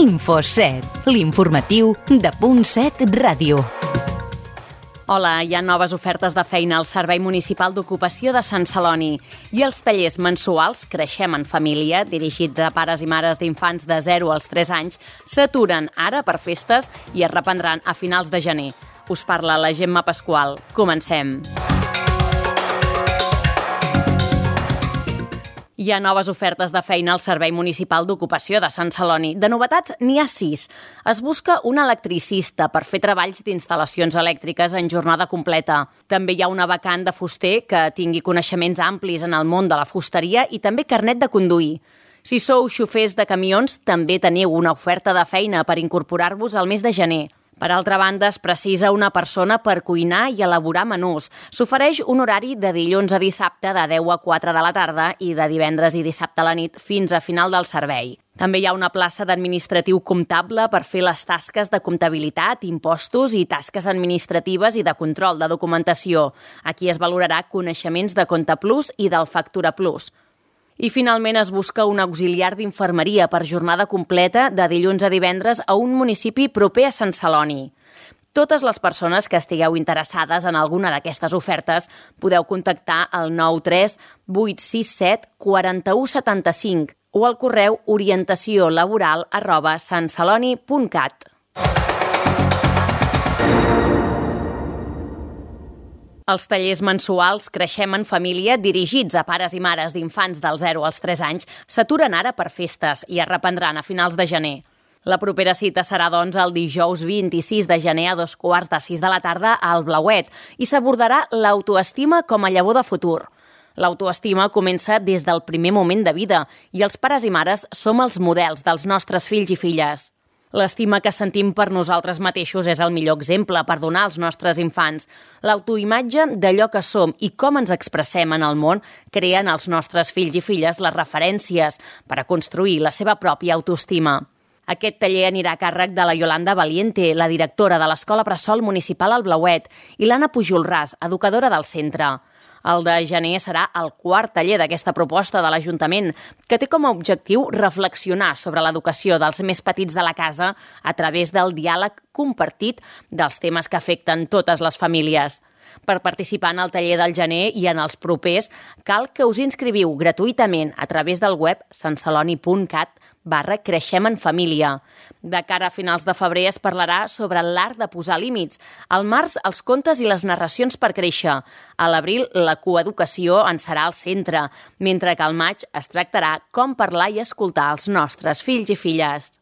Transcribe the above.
Info7, l'informatiu de Punt7 Ràdio. Hola, hi ha noves ofertes de feina al Servei Municipal d'Ocupació de Sant Celoni i els tallers mensuals Creixem en Família, dirigits a pares i mares d'infants de 0 als 3 anys, s'aturen ara per festes i es reprendran a finals de gener. Us parla la Gemma Pasqual. Comencem. Hi ha noves ofertes de feina al Servei Municipal d'Ocupació de Sant Celoni. De novetats, n'hi ha 6. Es busca un electricista per fer treballs d'instal·lacions elèctriques en jornada completa. També hi ha una vacant de fuster que tingui coneixements amplis en el món de la fusteria i també carnet de conduir. Si sou xofers de camions, també teniu una oferta de feina per incorporar-vos al mes de gener. Per altra banda, es precisa una persona per cuinar i elaborar menús. S'ofereix un horari de dilluns a dissabte de 10 a 4 de la tarda i de divendres i dissabte a la nit fins a final del servei. També hi ha una plaça d'administratiu comptable per fer les tasques de comptabilitat, impostos i tasques administratives i de control de documentació. Aquí es valorarà coneixements de Compte Plus i del Factura Plus. I finalment es busca un auxiliar d'infermeria per jornada completa de dilluns a divendres a un municipi proper a Sant Celoni. Totes les persones que estigueu interessades en alguna d'aquestes ofertes podeu contactar al 93 867 4175 o al correu orientaciolaboral@santceloni.cat. Els tallers mensuals Creixem en Família, dirigits a pares i mares d'infants del 0 als 3 anys, s'aturen ara per festes i es reprendran a finals de gener. La propera cita serà, doncs, el dijous 26 de gener a 5:15 de la tarda al Blauet i s'abordarà l'autoestima com a llavor de futur. L'autoestima comença des del primer moment de vida i els pares i mares som els models dels nostres fills i filles. L'estima que sentim per nosaltres mateixos és el millor exemple per donar als nostres infants. L'autoimatge d'allò que som i com ens expressem en el món creen als nostres fills i filles les referències per a construir la seva pròpia autoestima. Aquest taller anirà a càrrec de la Yolanda Valiente, la directora de l'Escola Bressol Municipal al Blauet, i l'Anna Pujolràs, educadora del centre. El de gener serà el quart taller d'aquesta proposta de l'Ajuntament, que té com a objectiu reflexionar sobre l'educació dels més petits de la casa a través del diàleg compartit dels temes que afecten totes les famílies. Per participar en el taller del gener i en els propers, cal que us inscriviu gratuïtament a través del web santceloni.cat/Creixem en Família. De cara a finals de febrer es parlarà sobre l'art de posar límits. Al març, els contes i les narracions per créixer. A l'abril, la coeducació en serà al centre, mentre que al maig es tractarà com parlar i escoltar els nostres fills i filles.